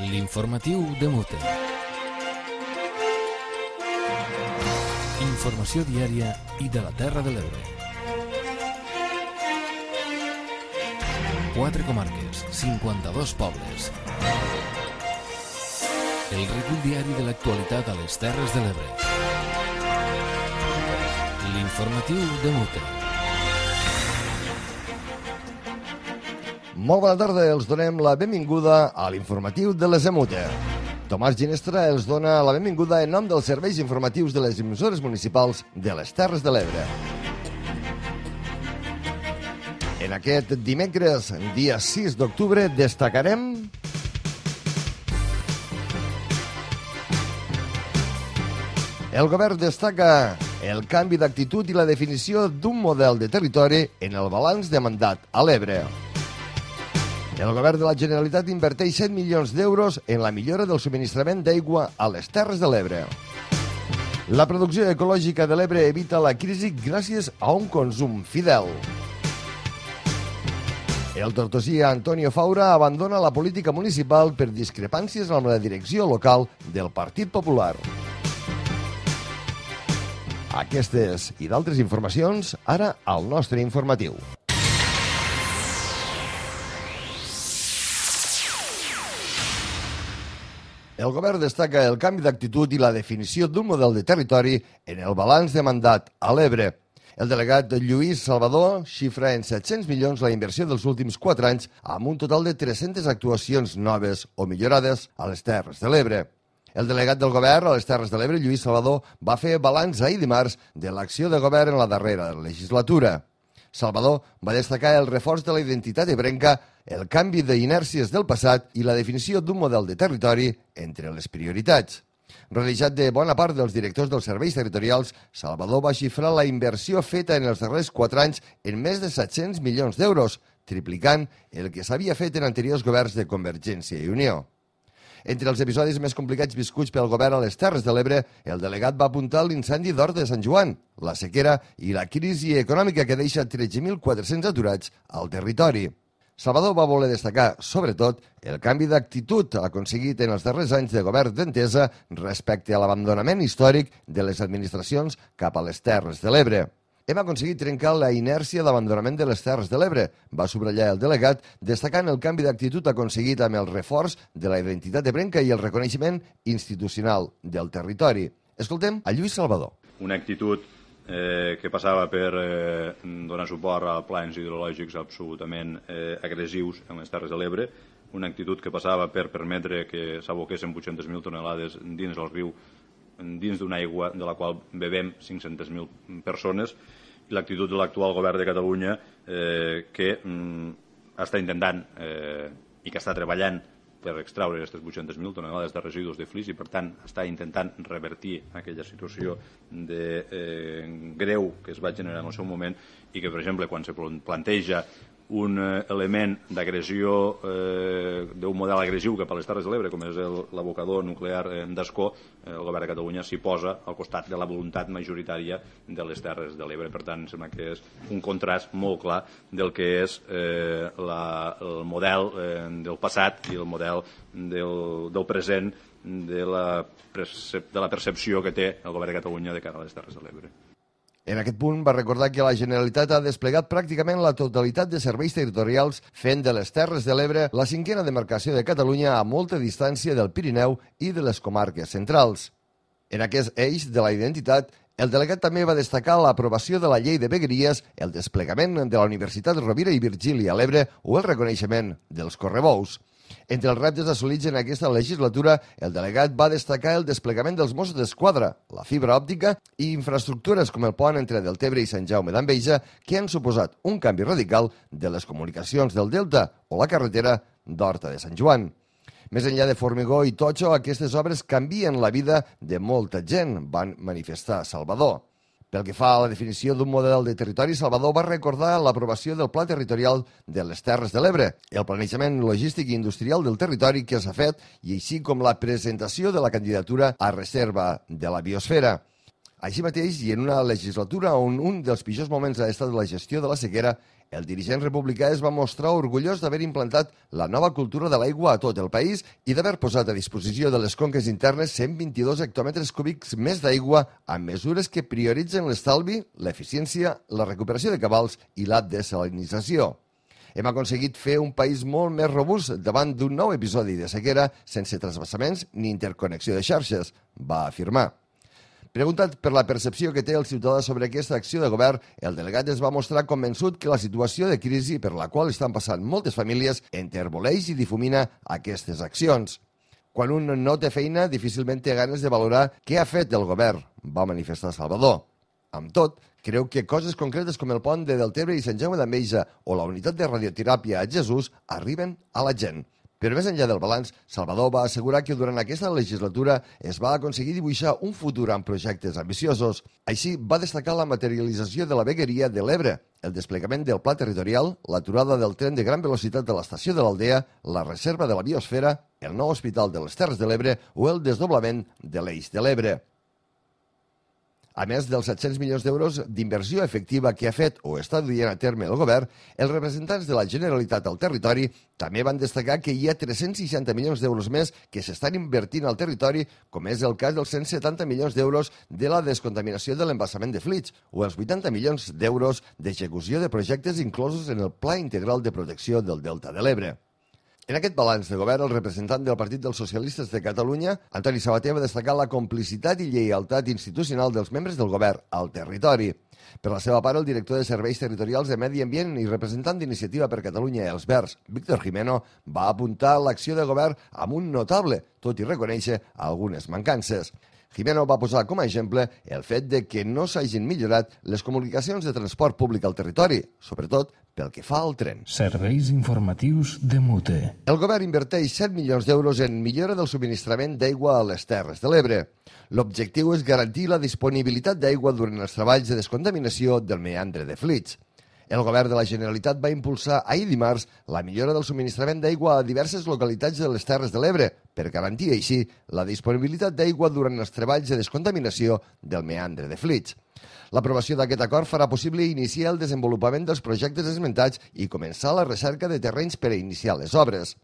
L'informatiu de Mute. Informació diària i de la Terra de l'Ebre. 4 comarques, 52 pobles. El recull diari de l'actualitat a les Terres de l'Ebre. L'informatiu de Mute. Molt bona tarda, els donem la benvinguda a l'informatiu de les EMUTE. Tomàs Ginestra els dona la benvinguda en nom dels serveis informatius de les emissores municipals de les Terres de l'Ebre. En aquest dimecres, dia 6 d'octubre, destacarem el govern destaca el canvi d'actitud i la definició d'un model de territori en el balanç de mandat a l'Ebre. El govern de la Generalitat inverteix 7 milions d'euros en la millora del subministrament d'aigua a les Terres de l'Ebre. La producció ecològica de l'Ebre evita la crisi gràcies a un consum fidel. El tortosí Antonio Faura abandona la política municipal per discrepàncies amb la direcció local del Partit Popular. Aquestes i d'altres informacions ara al nostre informatiu. El govern destaca el canvi d'actitud i la definició d'un model de territori en el balanç de mandat a l'Ebre. El delegat Lluís Salvador xifra en 700 milions la inversió dels últims 4 anys amb un total de 300 actuacions noves o millorades a les Terres de l'Ebre. El delegat del govern a les Terres de l'Ebre, Lluís Salvador, va fer balanç ahir dimarts de l'acció de govern en la darrera legislatura. Salvador va destacar el reforç de la identitat ebrenca, el canvi d'inèrcies del passat i la definició d'un model de territori entre les prioritats. Rodejat de bona part dels directors dels serveis territorials, Salvador va xifrar la inversió feta en els darrers 4 anys en més de 700 milions d'euros, triplicant el que s'havia fet en anteriors governs de Convergència i Unió. Entre els episodis més complicats viscuts pel govern a les Terres de l'Ebre, el delegat va apuntar l'incendi d'Horta de Sant Joan, la sequera i la crisi econòmica que deixa 13.400 aturats al territori. Salvador va voler destacar, sobretot, el canvi d'actitud aconseguit en els darrers anys de govern d'Entesa respecte a l'abandonament històric de les administracions cap a les Terres de l'Ebre. Hem aconseguit trencar la inèrcia d'abandonament de les Terres de l'Ebre, va subratllar el delegat, destacant el canvi d'actitud aconseguit amb el reforç de la identitat ebrenca i el reconeixement institucional del territori. Escoltem a Lluís Salvador. Una actitud que passava per donar suport a plans hidrològics absolutament agressius en les Terres de l'Ebre, una actitud que passava per permetre que s'aboquessin 800.000 tonelades dins del riu, dins d'una aigua de la qual bevem 500.000 persones, i l'actitud de l'actual govern de Catalunya que està intentant i que està treballant per extraure aquestes 800.000 tonelades de residus de flix i, per tant, està intentant revertir aquella situació de greu que es va generar en el seu moment i que, per exemple, quan se planteja un element d'agressió, d'un model agressiu cap a les Terres de l'Ebre, com és l'abocador nuclear d'Ascó, el govern de Catalunya s'hi posa al costat de la voluntat majoritària de les Terres de l'Ebre. Per tant, sembla que és un contrast molt clar del que és el model del passat i el model del present, de la percepció que té el govern de Catalunya de cara a les Terres de l'Ebre. En aquest punt va recordar que la Generalitat ha desplegat pràcticament la totalitat de serveis territorials fent de les Terres de l'Ebre la 5a demarcació de Catalunya a molta distància del Pirineu i de les comarques centrals. En aquest eix de la identitat, el delegat també va destacar l'aprovació de la llei de vegueries, el desplegament de la Universitat Rovira i Virgili a l'Ebre o el reconeixement dels correbous. Entre els reptes assolits en aquesta legislatura, el delegat va destacar el desplegament dels Mossos d'Esquadra, la fibra òptica i infraestructures com el pont entre Deltebre i Sant Jaume d'Enveja, que han suposat un canvi radical de les comunicacions del Delta o la carretera d'Horta de Sant Joan. Més enllà de formigó i totxo, aquestes obres canvien la vida de molta gent, van manifestar Salvador. Pel que fa a la definició d'un model de territori, Salvador va recordar l'aprovació del Pla Territorial de les Terres de l'Ebre, el planejament logístic i industrial del territori que s'ha fet i així com la presentació de la candidatura a reserva de la biosfera. Així mateix, i en una legislatura on un dels pitjors moments ha estat la gestió de la sequera, El dirigent republicà es va mostrar orgullós d'haver implantat la nova cultura de l'aigua a tot el país i d'haver posat a disposició de les conques internes 122 hectòmetres cúbics més d'aigua amb mesures que prioritzen l'estalvi, l'eficiència, la recuperació de cabals i la desalinització. Hem aconseguit fer un país molt més robust davant d'un nou episodi de sequera sense trasbassaments ni interconnexió de xarxes, va afirmar. Preguntat per la percepció que té el ciutadà sobre aquesta acció de govern, el delegat es va mostrar convençut que la situació de crisi per la qual estan passant moltes famílies enterboleix i difumina aquestes accions. Quan un no té feina, difícilment té ganes de valorar què ha fet el govern, va manifestar Salvador. Amb tot, creu que coses concretes com el pont de Deltebre i Sant Jaume d'Enveja o la unitat de radioteràpia a Jesús arriben a la gent. Però més enllà del balanç, Salvador va assegurar que durant aquesta legislatura es va aconseguir dibuixar un futur amb projectes ambiciosos. Així, va destacar la materialització de la vegueria de l'Ebre, el desplegament del pla territorial, l'aturada del tren de gran velocitat de l'estació de l'Aldea, la reserva de la biosfera, el nou hospital de les Terres de l'Ebre o el desdoblament de l'Eix de l'Ebre. A més dels 700 milions d'euros d'inversió efectiva que ha fet o està duent a terme el govern, els representants de la Generalitat al territori també van destacar que hi ha 360 milions d'euros més que s'estan invertint al territori, com és el cas dels 170 milions d'euros de la descontaminació de l'embassament de Flix o els 80 milions d'euros d'execució de projectes inclosos en el Pla Integral de Protecció del Delta de l'Ebre. En aquest balanç de govern, el representant del Partit dels Socialistes de Catalunya, Antoni Sabater, va destacar la complicitat i lleialtat institucional dels membres del govern al territori. Per la seva part, el director de Serveis Territorials de Medi Ambient i representant d'Iniciativa per Catalunya Els Verds, Víctor Jimeno, va apuntar l'acció de govern amb un notable, tot i reconèixer algunes mancances. Jimeno va posar com a exemple el fet de que no s'hagin millorat les comunicacions de transport públic al territori, sobretot pel que fa al tren. Serveis informatius de Mute. El govern inverteix 7 milions d'euros en millora del subministrament d'aigua a les Terres de l'Ebre. L'objectiu és garantir la disponibilitat d'aigua durant els treballs de descontaminació del meandre de Flix. El govern de la Generalitat va impulsar ahir dimarts la millora del subministrament d'aigua a diverses localitats de les Terres de l'Ebre per garantir així la disponibilitat d'aigua durant els treballs de descontaminació del meandre de Flix. L'aprovació d'aquest acord farà possible iniciar el desenvolupament dels projectes esmentats i començar la recerca de terrenys per a iniciar les obres.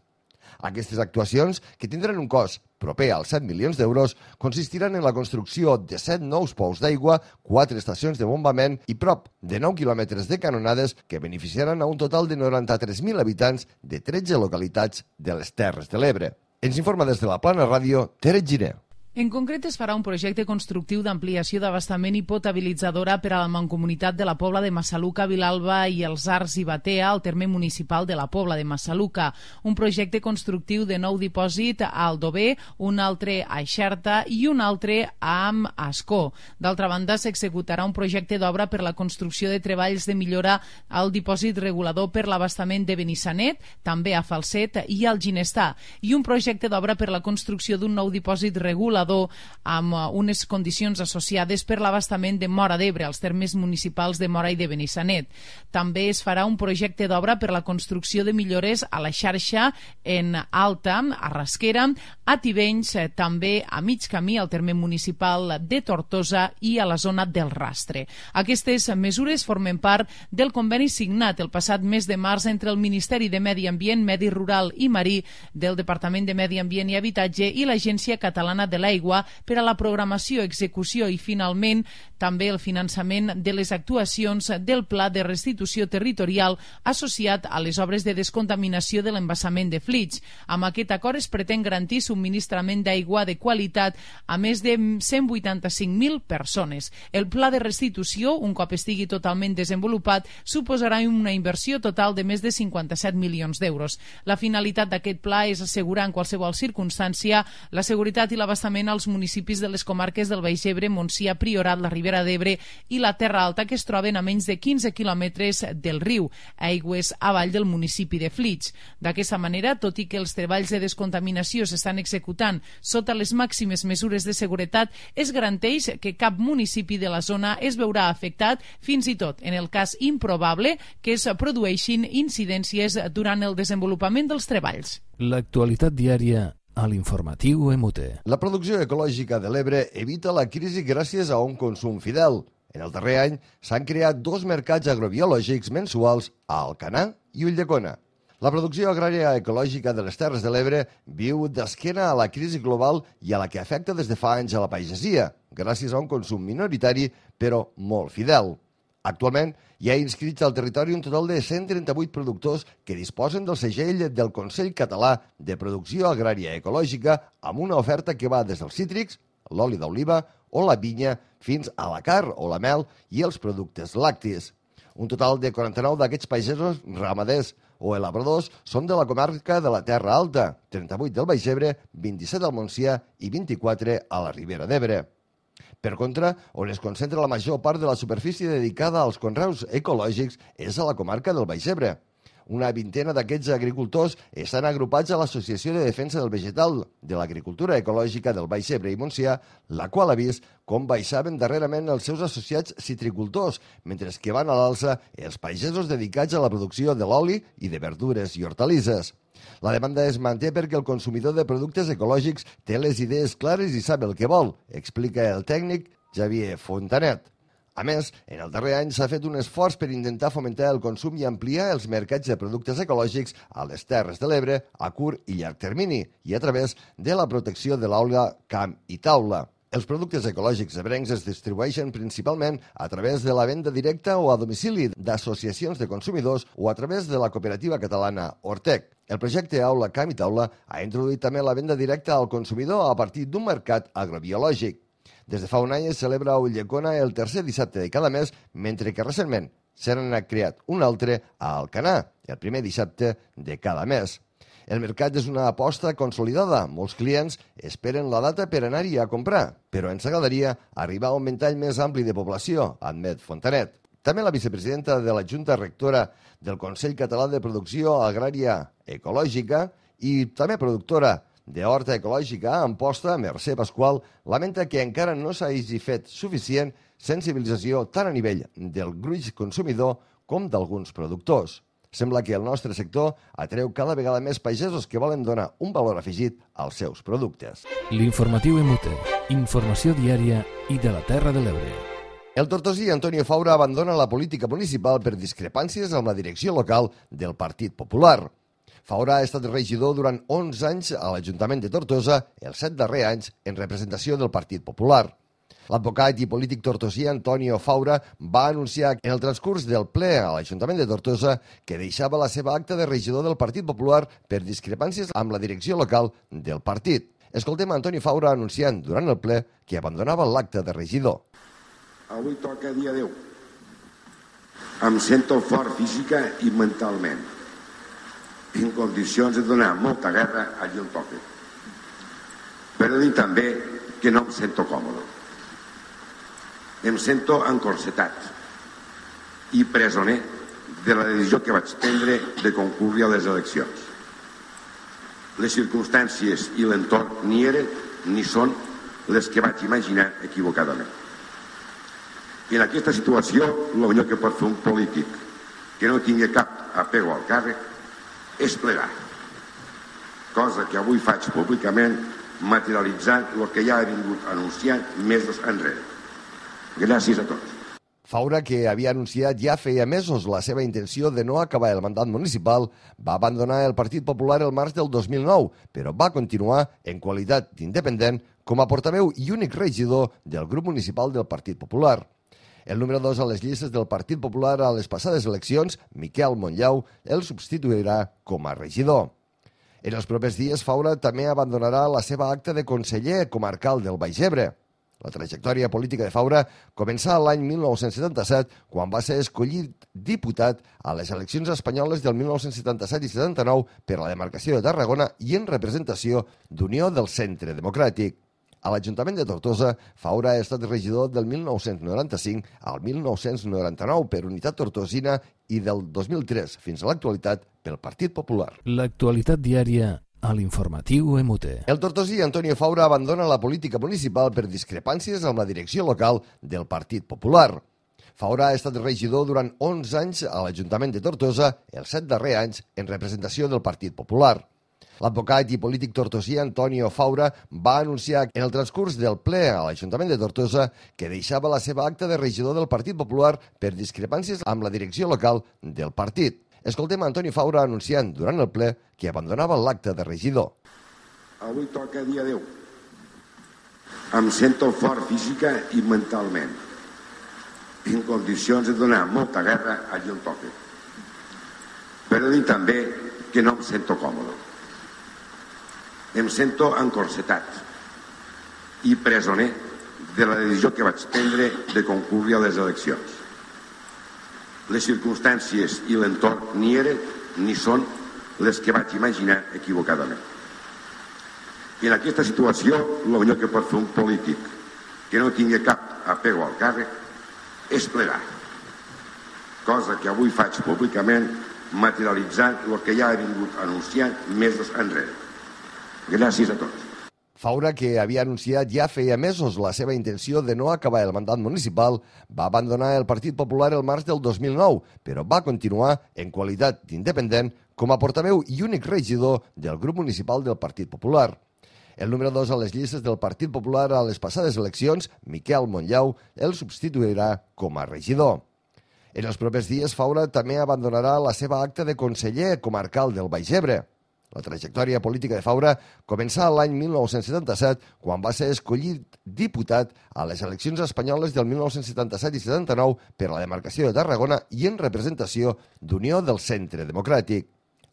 Aquestes actuacions, que tindran un cost proper als 7 milions d'euros, consistiran en la construcció de 7 nous pous d'aigua, 4 estacions de bombament i prop de 9 quilòmetres de canonades que beneficiaran a un total de 93.000 habitants de 13 localitats de les Terres de l'Ebre. Ens informa des de la Plana Ràdio, Tere Giner. En concret, es farà un projecte constructiu d'ampliació d'abastament i potabilitzadora per a la mancomunitat de la Pobla de Massaluca, Vilalba i els Arcs i Batea, al terme municipal de la Pobla de Massaluca. Un projecte constructiu de nou dipòsit a Aldover, un altre a Xerta i un altre a Ascó. D'altra banda, s'executarà un projecte d'obra per la construcció de treballs de millora al dipòsit regulador per l'abastament de Benissanet, també a Falset i al Ginestà, i un projecte d'obra per la construcció d'un nou dipòsit regulador amb unes condicions associades per l'abastament de Móra d'Ebre, als termes municipals de Móra i de Benissanet. També es farà un projecte d'obra per la construcció de millores a la xarxa en Alta, a Rasquera, a Tivenys, també a mig camí al terme municipal de Tortosa i a la zona del Rastre. Aquestes mesures formen part del conveni signat el passat mes de març entre el Ministeri de Medi Ambient, Medi Rural i Marí del Departament de Medi Ambient i Habitatge i l'Agència Catalana de l'Aigua per a la programació, execució i, finalment, també el finançament de les actuacions del Pla de Restitució Territorial associat a les obres de descontaminació de l'embassament de Flix. Amb aquest acord es pretén garantir subministrament d'aigua de qualitat a més de 185.000 persones. El Pla de Restitució, un cop estigui totalment desenvolupat, suposarà una inversió total de més de 57 milions d'euros. La finalitat d'aquest pla és assegurar en qualsevol circumstància la seguretat i l'abastament als municipis de les comarques del Baix Ebre, Montsià, Priorat, la Ribera d'Ebre i la Terra Alta, que es troben a menys de 15 quilòmetres del riu, aigües avall del municipi de Flix. D'aquesta manera, tot i que els treballs de descontaminació s'estan executant sota les màximes mesures de seguretat, es garanteix que cap municipi de la zona es veurà afectat, fins i tot en el cas improbable que es produeixin incidències durant el desenvolupament dels treballs. L'actualitat diària a l'informatiu EMUTE. La producció ecològica de l'Ebre evita la crisi gràcies a un consum fidel. En el darrer any s'han creat 2 mercats agrobiològics mensuals a Alcanar i Ulldecona. La producció agrària ecològica de les Terres de l'Ebre viu d'esquena a la crisi global i a la que afecta des de fa anys a la pagesia, gràcies a un consum minoritari però molt fidel. Actualment hi ha inscrits al territori un total de 138 productors que disposen del segell del Consell Català de Producció Agrària Ecològica amb una oferta que va des dels cítrics, l'oli d'oliva o la vinya fins a la carn o la mel i els productes lactis. Un total de 49 d'aquests pagesos ramaders o elabradors són de la comarca de la Terra Alta, 38 del Baix Ebre, 27 al Montsià i 24 a la Ribera d'Ebre. Per contra, on es concentra la major part de la superfície dedicada als conreus ecològics és a la comarca del Baix Ebre. Una vintena d'aquests agricultors estan agrupats a l'Associació de Defensa del Vegetal de l'Agricultura Ecològica del Baix Ebre i Montsià, la qual ha vist com baixaven darrerament els seus associats citricultors, mentre que van a l'alça els pagesos dedicats a la producció de l'oli i de verdures i hortalisses. La demanda es manté perquè el consumidor de productes ecològics té les idees clares i sap el que vol, explica el tècnic Xavier Fontanet. A més, en el darrer any s'ha fet un esforç per intentar fomentar el consum i ampliar els mercats de productes ecològics a les Terres de l'Ebre a curt i llarg termini i a través de la protecció de l'aula camp i taula. Els productes ecològics ebrencs es distribueixen principalment a través de la venda directa o a domicili d'associacions de consumidors o a través de la cooperativa catalana Ortec. El projecte Aula Camp i Taula ha introduït també la venda directa al consumidor a partir d'un mercat agrobiològic. Des de fa un any es celebra a Ulldecona el tercer dissabte de cada mes, mentre que recentment se n'ha creat un altre a Alcanar, el primer dissabte de cada mes. El mercat és una aposta consolidada. Molts clients esperen la data per anar-hi a comprar, però ens agradaria arribar a un ventall més ampli de població, admet Fontanet. També la vicepresidenta de la Junta Rectora del Consell Català de Producció Agrària Ecològica i també productora de Horta Ecològica a Amposta, Mercè Pasqual, lamenta que encara no s'hagi fet suficient sensibilització tant a nivell del gruix consumidor com d'alguns productors. Sembla que el nostre sector atreu cada vegada més pagesos que volen donar un valor afegit als seus productes. L'informatiu MUT, informació diària i de la Terra de l'Ebre. El tortosí Antonio Faura abandona la política municipal per discrepàncies amb la direcció local del Partit Popular. Faura ha estat regidor durant 11 anys a l'Ajuntament de Tortosa, els 7 darrers anys en representació del Partit Popular. L'advocat i polític tortosí Antonio Faura va anunciar en el transcurs del ple a l'Ajuntament de Tortosa que deixava la seva acta de regidor del Partit Popular per discrepàncies amb la direcció local del partit. Escoltem a Antonio Faura anunciant durant el ple que abandonava l'acta de regidor. Avui toca dia 10. Em sento fort física i mentalment, en condicions de donar molta guerra allí on toca. Però dic també que no em sento còmode. Em sento encorsetat i presoner de la decisió que vaig prendre de concórrer a les eleccions. Les circumstàncies i l'entorn ni eren ni són les que vaig imaginar equivocadament. I en aquesta situació, el millor que pot fer un polític que no tingui cap apego al càrrec és plegar, cosa que avui faig públicament materialitzant el que ja he vingut anunciant mesos enrere. Gràcies a tots. Faura, que havia anunciat ja feia mesos la seva intenció de no acabar el mandat municipal, va abandonar el Partit Popular el març del 2009, però va continuar en qualitat d'independent com a portaveu i únic regidor del grup municipal del Partit Popular. El número 2 a les llistes del Partit Popular a les passades eleccions, Miquel Montllau, el substituirà com a regidor. En els propers dies, Faura també abandonarà la seva acta de conseller comarcal del Baix Ebre. La trajectòria política de Faura començà l'any 1977, quan va ser escollit diputat a les eleccions espanyoles del 1977 i 79 per a la demarcació de Tarragona i en representació d'Unió del Centre Democràtic. A l'Ajuntament de Tortosa, Faura ha estat regidor del 1995 al 1999 per Unitat Tortosina i del 2003 fins a l'actualitat pel Partit Popular. L'actualitat diària a l'informatiu MUT. El tortosí Antonio Faura abandona la política municipal per discrepàncies amb la direcció local del Partit Popular. Faura ha estat regidor durant 11 anys a l'Ajuntament de Tortosa, els 7 darrers anys en representació del Partit Popular. L'advocat i polític tortosí Antonio Faura va anunciar en el transcurs del ple a l'Ajuntament de Tortosa que deixava la seva acta de regidor del Partit Popular per discrepàncies amb la direcció local del partit. Escoltem Antonio Faura anunciant durant el ple que abandonava l'acta de regidor. Avui toca dia 10. Em sento fort física i mentalment, en condicions de donar molta guerra allí on toca. Però dic també que no em sento còmode. Em sento encorsetat i presoner de la decisió que vaig prendre de concórrer a les eleccions. Les circumstàncies i l'entorn ni eren ni són les que vaig imaginar equivocadament. I en aquesta situació, el millor que pot fer un polític que no tingui cap apego al càrrec és plegar. Cosa que avui faig públicament, materialitzant el que ja he vingut anunciant mesos enrere. Gràcies a tots. Faura, que havia anunciat ja feia mesos la seva intenció de no acabar el mandat municipal, va abandonar el Partit Popular el març del 2009, però va continuar en qualitat d'independent com a portaveu i únic regidor del grup municipal del Partit Popular. El número 2 a les llistes del Partit Popular a les passades eleccions, Miquel Montllau, el substituirà com a regidor. En els propers dies, Faura també abandonarà la seva acta de conseller comarcal del Baix Ebre. La trajectòria política de Faura començà l'any 1977, quan va ser escollit diputat a les eleccions espanyoles del 1977 i 79 per a la demarcació de Tarragona i en representació d'Unió del Centre Democràtic.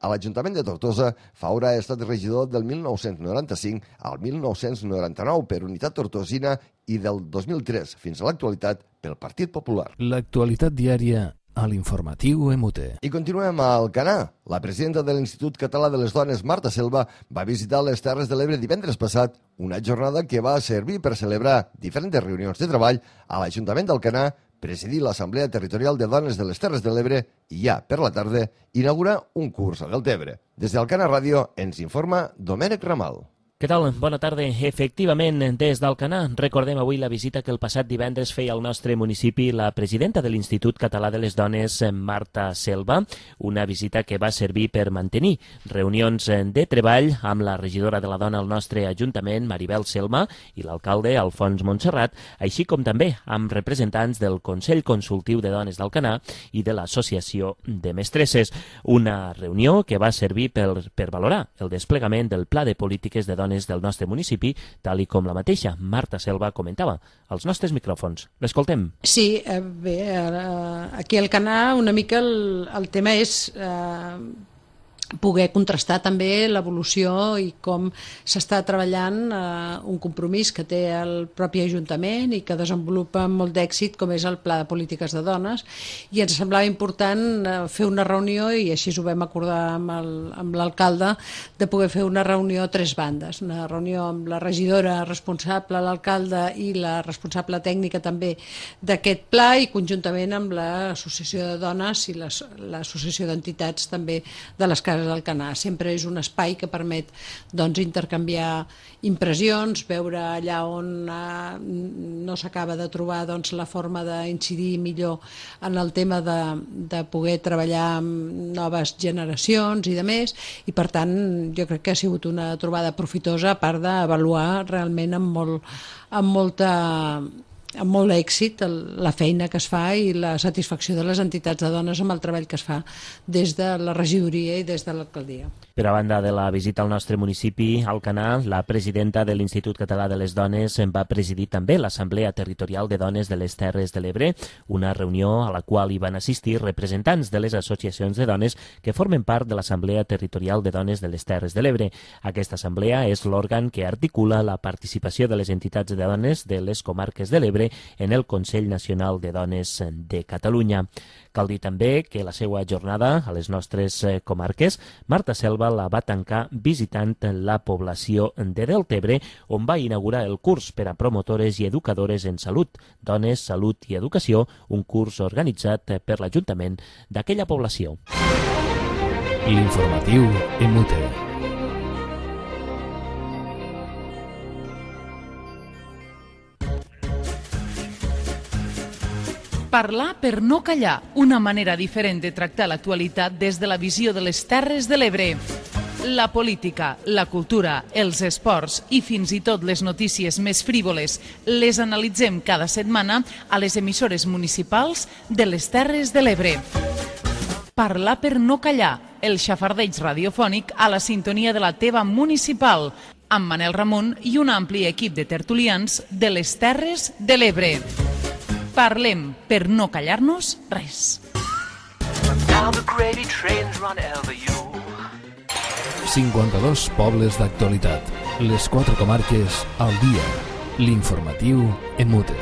A l'Ajuntament de Tortosa, Faura ha estat regidor del 1995 al 1999 per Unitat Tortosina i del 2003 fins a l'actualitat pel Partit Popular. L'actualitat diària a l'informatiu EMUTE. I continuem a Alcanar. La presidenta de l'Institut Català de les Dones, Marta Selva, va visitar les Terres de l'Ebre divendres passat, una jornada que va servir per celebrar diferents reunions de treball a l'Ajuntament d'Alcanar, presidir l'Assemblea Territorial de Dones de les Terres de l'Ebre i ja, per la tarda, inaugurar un curs a Deltebre. Des d'Alcanar Ràdio ens informa Domènec Ramal. Què tal? Bona tarda. Efectivament, des d'Alcanar recordem avui la visita que el passat divendres feia al nostre municipi la presidenta de l'Institut Català de les Dones, Marta Selva, una visita que va servir per mantenir reunions de treball amb la regidora de la dona al nostre Ajuntament, Maribel Selma, i l'alcalde, Alfons Montserrat, així com també amb representants del Consell Consultiu de Dones d'Alcanar i de l'Associació de Mestresses. Una reunió que va servir per valorar el desplegament del Pla de Polítiques de Dones del nostre municipi, tal i com la mateixa Marta Selva comentava als nostres micròfons. L'escoltem. Sí, bé, aquí al Alcanar una mica el tema és poder contrastar també l'evolució i com s'està treballant un compromís que té el propi Ajuntament i que desenvolupa amb molt d'èxit, com és el Pla de Polítiques de Dones, i ens semblava important fer una reunió, i així ho vam acordar amb l'alcalde, de poder fer una reunió a tres bandes, una reunió amb la regidora responsable, l'alcalde i la responsable tècnica també d'aquest pla, i conjuntament amb l'Associació de Dones i l'Associació d'Entitats també de les Cases d'Alcanar. Sempre és un espai que permet intercanviar impressions, veure allà on no s'acaba de trobar la forma d'incidir millor en el tema de poder treballar amb noves generacions i demés, i per tant jo crec que ha sigut una trobada profitosa, a part d'avaluar realment amb molt èxit la feina que es fa i la satisfacció de les entitats de dones amb el treball que es fa des de la regidoria i des de l'alcaldia. Per a banda de la visita al nostre municipi, Alcanar, la presidenta de l'Institut Català de les Dones va presidir també l'Assemblea Territorial de Dones de les Terres de l'Ebre, una reunió a la qual hi van assistir representants de les associacions de dones que formen part de l'Assemblea Territorial de Dones de les Terres de l'Ebre. Aquesta assemblea és l'òrgan que articula la participació de les entitats de dones de les comarques de l'Ebre en el Consell Nacional de Dones de Catalunya. Cal dir també que la seva jornada a les nostres comarques, Marta Selva la va tancar visitant la població de Deltebre, on va inaugurar el curs per a promotores i educadores en salut, dones, salut i educació, un curs organitzat per l'Ajuntament d'aquella població. L'informatiu EMUTE. Parlar per no callar, una manera diferent de tractar l'actualitat des de la visió de les Terres de l'Ebre. La política, la cultura, els esports i fins i tot les notícies més frívoles les analitzem cada setmana a les emissores municipals de les Terres de l'Ebre. Parlar per no callar, el xafardeig radiofònic a la sintonia de la teva municipal, amb Manel Ramon i un ampli equip de tertulians de les Terres de l'Ebre. Parlem per no callar-nos res. 52 pobles d'actualitat. Les 4 comarques al dia. L'informatiu en mute.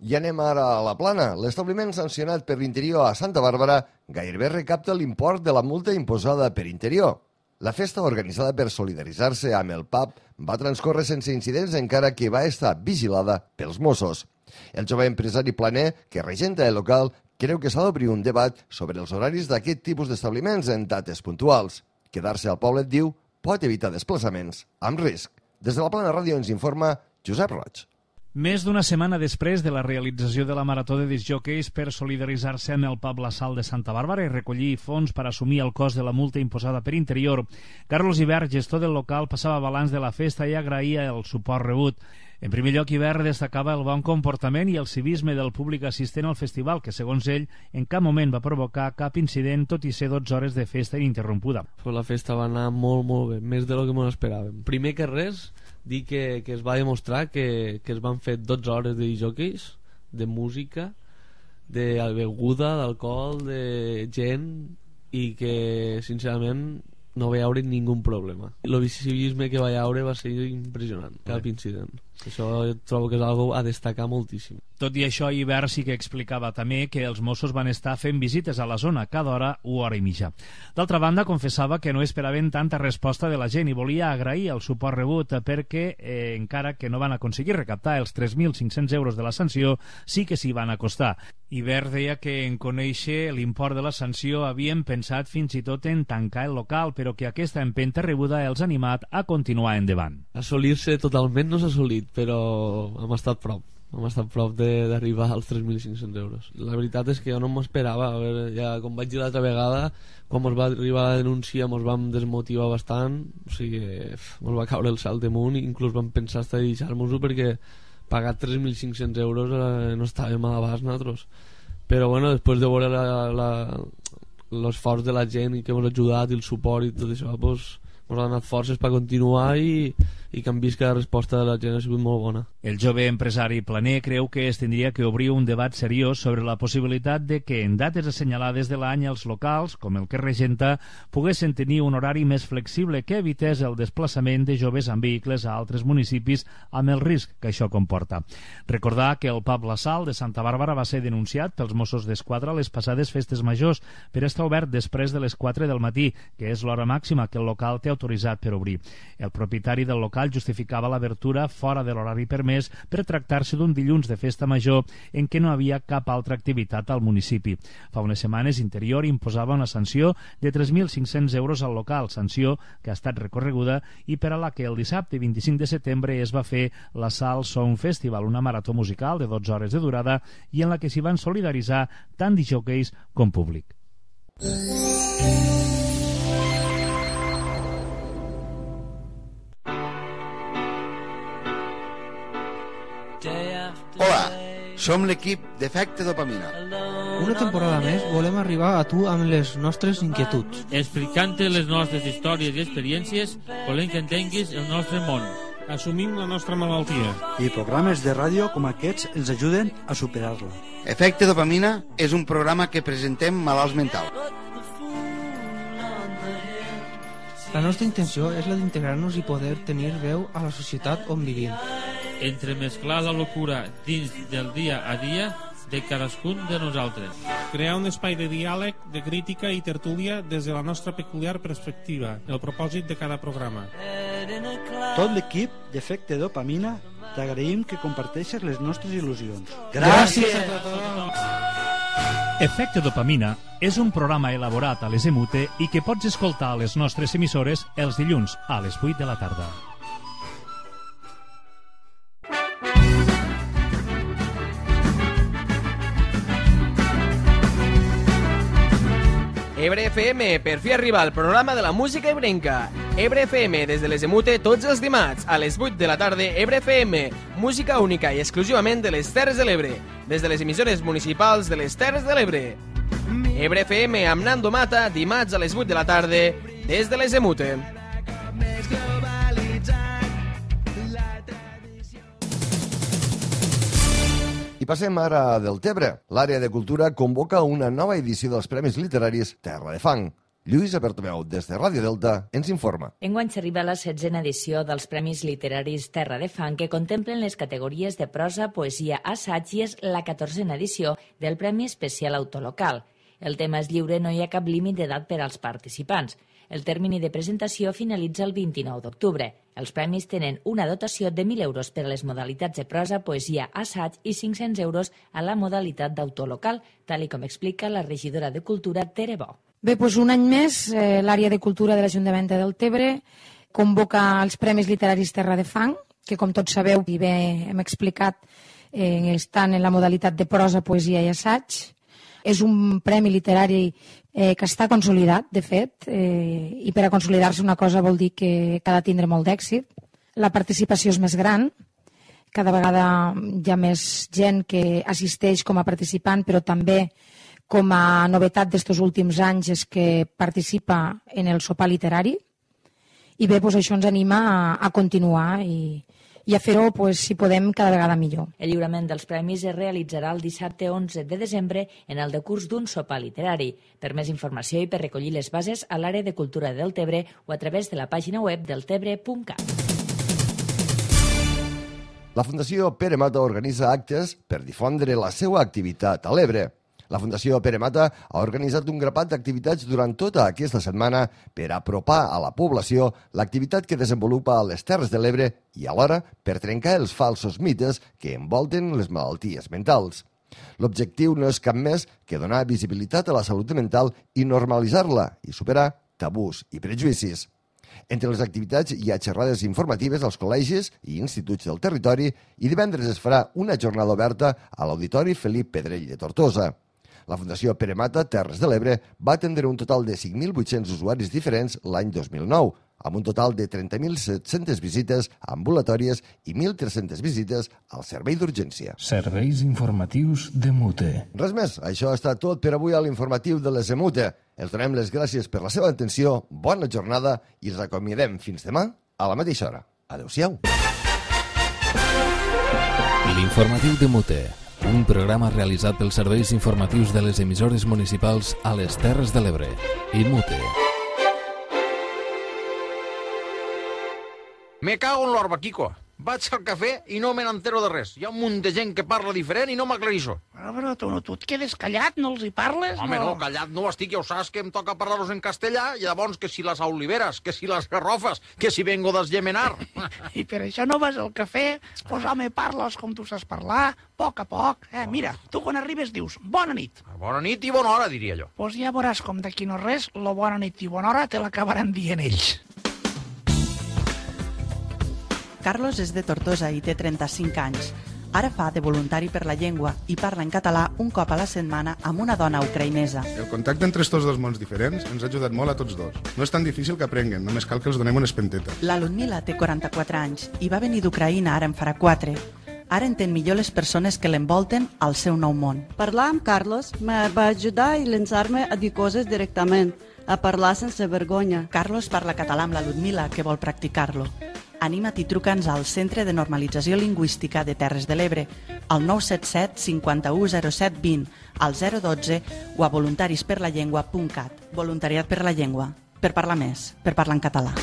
I anem ara a la Plana. L'establiment sancionat per l'Interior a Santa Bàrbara gairebé recapta l'import de la multa imposada per Interior. La festa, organitzada per solidaritzar-se amb el pub, va transcórrer sense incidents encara que va estar vigilada pels Mossos. El jove empresari planer, que regenta el local, creu que s'ha d'obrir un debat sobre els horaris d'aquest tipus d'establiments en dates puntuals. Quedar-se al poble, diu, pot evitar desplaçaments amb risc. Des de la Plana Ràdio ens informa Josep Roig. Més d'una setmana després de la realització de la Marató de discjòqueis per solidaritzar-se amb el pub La Sal de Santa Bàrbara i recollir fons per assumir el cost de la multa imposada per Interior, Carlos Ibert, gestor del local, passava balanç de la festa i agraïa el suport rebut. En primer lloc, Ibert destacava el bon comportament i el civisme del públic assistent al festival, que, segons ell, en cap moment va provocar cap incident, tot i ser 12 hores de festa ininterrompuda. La festa va anar molt bé, més de lo que ens esperàvem. Primer que res, dir que es va demostrar que es van fer 12 hores de discjòqueis, de música, de beguda, d'alcohol, de gent, i que, sincerament, no va haver ningú problema. El civisme que va haver va ser impressionant, cap incident. Això trobo que és algo a destacar moltíssim. Tot i això, Ibert sí que explicava també que els Mossos van estar fent visites a la zona cada hora o hora i mitja. D'altra banda, confessava que no esperaven tanta resposta de la gent i volia agrair el suport rebut perquè, encara que no van aconseguir recaptar els 3.500 euros de la sanció, sí que s'hi van acostar. Ibert deia que en conèixer l'import de la sanció havien pensat fins i tot en tancar el local, però que aquesta empenta rebuda els ha animat a continuar endavant. Assolir-se totalment no s'ha assolit, però hem estat prop. Hem estat prop d'arribar als 3.500 euros. La veritat és que jo no m'esperava. Ja, com vaig dir l'altra vegada, quan ens va arribar la denúncia ens vam desmotivar bastant, o sigui, ens va caure el salt damunt i inclús vam pensar estar a deixar-nos-ho perquè pagar 3.500 euros no estàvem a l'abast nosaltres. Però bueno, després de veure l'esforç de la gent i que ens ha ajudat i el suport i tot això, doncs ens ha donat forces per continuar i que han vist que la resposta de la gent ha sigut molt bona. El jove empresari planer creu que es tindria que obrir un debat seriós sobre la possibilitat de que en dates assenyalades de l'any els locals, com el que regenta, poguessin tenir un horari més flexible que evités el desplaçament de joves amb vehicles a altres municipis amb el risc que això comporta. Recordar que el pub La Sal de Santa Bàrbara va ser denunciat pels Mossos d'Esquadra a les passades festes majors per estar obert després de les 4 del matí, que és l'hora màxima que el local té autoritzat per obrir. El propietari del local justificava l'obertura fora de l'horari permès per tractar-se d'un dilluns de festa major en què no havia cap altra activitat al municipi. Fa unes setmanes Interior imposava una sanció de 3.500 euros al local, sanció que ha estat recorreguda i per a la que el dissabte 25 de setembre es va fer la Sal Sound Festival, una marató musical de 12 hores de durada i en la que s'hi van solidaritzar tant discjòqueis com públic. Hola, som l'equip d'Efecte Dopamina. Una temporada més volem arribar a tu amb les nostres inquietuds. Explicant-te les nostres històries i experiències, volem que entenguis el nostre món. Assumim la nostra malaltia. I programes de ràdio com aquests ens ajuden a superar-la. Efecte Dopamina és un programa que presentem malalts mentals. La nostra intenció és la d'integrar-nos i poder tenir veu a la societat on vivim. Entremesclar la locura dins del dia a dia de cadascun de nosaltres. Crear un espai de diàleg, de crítica i tertúlia des de la nostra peculiar perspectiva, el propòsit de cada programa. Tot l'equip d'Efecte Dopamina t'agraïm que comparteixes les nostres il·lusions. Gràcies a tothom! Efecte Dopamina és un programa elaborat a les EMUTE i que pots escoltar a les nostres emissores els dilluns a les 8 de la tarda. Ebre FM, per fi arriba el programa de la música ebrenca. Ebre FM, des de les Emute, tots els dimarts, a les 8 de la tarda, Ebre FM, música única i exclusivament de les Terres de l'Ebre, des de les emissores municipals de les Terres de l'Ebre. Ebre FM amb Nando Mata, dimarts a les 8 de la tarda, des de les Emute. I passem ara del Tebre. L'àrea de cultura convoca una nova edició dels Premis Literaris Terra de Fang. Lluïsa Bertomeu, des de Ràdio Delta, ens informa. Enguany s'arriba a la 16a edició dels Premis Literaris Terra de Fang, que contemplen les categories de prosa, poesia, assaig, i és la 14a edició del Premi Especial Autolocal. El tema és lliure, no hi ha cap límit d'edat per als participants. El termini de presentació finalitza el 29 d'octubre. Els premis tenen una dotació de 1.000 euros per a les modalitats de prosa, poesia, assaig i 500 euros a la modalitat d'autolocal, tal com explica la regidora de Cultura, Tere Bo. Bé, doncs un any més, l'àrea de cultura de l'Ajuntament de Deltebre convoca els Premis Literaris Terra de Fang, que com tots sabeu i bé hem explicat, estan en la modalitat de prosa, poesia i assaig. És un premi literari que està consolidat, de fet, i per a consolidar-se una cosa vol dir que ha de tindre molt d'èxit. La participació és més gran, cada vegada hi ha més gent que assisteix com a participant, però també com a novetat d'estos últims anys és que participa en el sopar literari, i bé, doncs això ens anima a continuar i a fer-ho, si podem, cada vegada millor. El lliurament dels premis es realitzarà el dissabte 11 de desembre en el decurs d'un sopar literari. Per més informació i per recollir les bases a l'àrea de cultura del Tebre o a través de la pàgina web deltebre.cat. La Fundació Pere Mata organitza actes per difondre la seva activitat a l'Ebre. La Fundació Pere Mata ha organitzat un grapat d'activitats durant tota aquesta setmana per apropar a la població l'activitat que desenvolupa a les Terres de l'Ebre i alhora per trencar els falsos mites que envolten les malalties mentals. L'objectiu no és cap més que donar visibilitat a la salut mental i normalitzar-la i superar tabús i prejudicis. Entre les activitats hi ha xerrades informatives als col·legis i instituts del territori i divendres es farà una jornada oberta a l'Auditori Felip Pedrell de Tortosa. La Fundació Pere Mata Terres de l'Ebre va atendre un total de 5.800 usuaris diferents l'any 2009, amb un total de 30.700 visites ambulatòries i 1.300 visites al servei d'urgència. Serveis informatius de Mute. Res més, això ha estat tot per avui a l'informatiu de les Emute. Els donem les gràcies per la seva atenció, bona jornada i els acomiadem fins demà a la mateixa hora. Adéu-siau. L'informatiu de Mute, un programa realitzat pels serveis informatius de les emissores municipals a les Terres de l'Ebre i Mute. Me cago en l'orba, Quico. Vaig al cafè i no me n'entero de res. Hi ha un munt de gent que parla diferent i no m'aclareixo. Però tu et quedes callat, no els hi parles? Home, no, callat no estic, ja ho saps que em toca parlar-los en castellà, i llavors que si les oliveres, que si les garrofes, que si vengo d'Esgemenar. I per això no vas al cafè? Pues home, parles com tu saps parlar, a poc. Mira, tu quan arribes dius bona nit. Bona nit i bona hora, diria jo. Pues ja veuràs com d'aquí no res, lo bona nit i bona hora te l'acabaran dient ells. Carlos és de Tortosa i té 35 anys. Ara fa de voluntari per la llengua i parla en català un cop a la setmana amb una dona ucraïnesa. El contacte entre estos dos mons diferents ens ha ajudat molt a tots dos. No és tan difícil que aprenguen, només cal que els donem una espenteta. La Ludmila té 44 anys i va venir d'Ucraïna ara en farà 4. Ara entén millor les persones que l'envolten al seu nou món. Parlar amb Carlos me va ajudar a llançar-me a dir coses directament, a parlar sense vergonya. Carlos parla català amb la Ludmila, que vol practicar-lo. Anima't i truca'ns al Centre de Normalització Lingüística de Terres de l'Ebre, al 977 51 07 20, al 012 o a voluntarisperlallengua.cat. Voluntariat per la llengua, per parlar més, per parlar en català.